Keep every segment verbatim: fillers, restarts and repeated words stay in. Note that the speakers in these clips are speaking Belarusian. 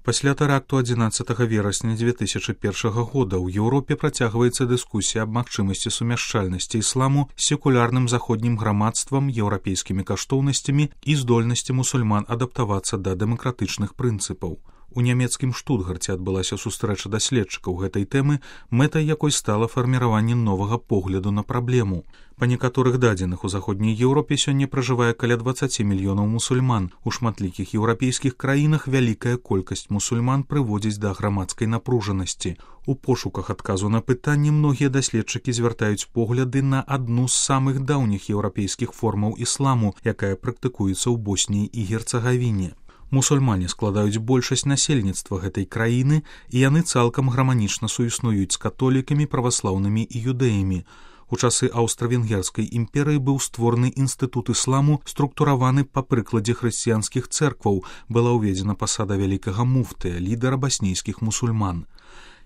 Пасля тэракту адзінаццатага верасня дзве тысячы першага года ў Еўропе працягваецца дыскусія аб магчымасці сумяшчальнасці ісламу з секулярным заходнім грамадствам, еўрапейскімі каштоўнасцямі і здольнасці мусульман адаптавацца да дэмакратычных прынцыпаў. У нямецкім Штутгарце адбылася сустрэча даследчыкаў гэтай тэмы, мэтай якой стала фарміраванне новага погляду на праблему. Па некаторых дадзеных у заходняй Еўропе сёння пражывае каля дваццаць мільёнаў мусульман. У шматлікіх еўрапейскіх краінах вялікая колькасць мусульман прыводзіць да грамадскай напружанасці. У пошуках адказу на пытанне многія даследчыкі звяртаюць погляды на адну з самых даўніх еўрапейскіх формаў ісламу, якая практыкуецца ў Босніі і Герцагавіне. Мусульмане складаюць большасць насельніцтва гэтай краіны, і яны цалкам гарманічна суіснуюць з католікамі, праваслаўнымі і юдэямі. У часы аўстра-венгерскай імперыі быў створаны інстытут ісламу, структураваны па прыкладзе хрысціянскіх цэркваў, была ўведзена пасада вялікага муфтыя, лідара баснійскіх мусульман.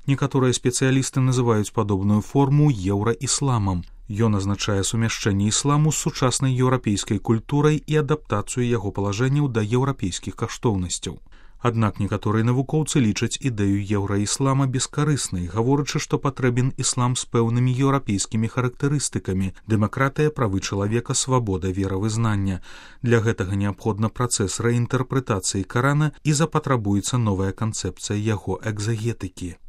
Некаторыя спецыялісты называюць падобную форму еўраісламам. Ён азначае сумяшчэнне ісламу з сучаснай еўрапейскай культурай і адаптацыю яго палажэнняў да еўрапейскіх каштоўнасцяў. Аднак некаторыя навукоўцы лічаць ідэю еўраіслама бескарыснай, гаворачы, што патрэбен іслам з пэўнымі еўрапейскімі характарыстыкамі: дэмакратыя, правы чалавека, свабода веравызнання. Для гэтага неабходна працэс рэінтэрпрэтацыі Карана і запатрабуецца новая канцэпцыя яго экзагетыкі.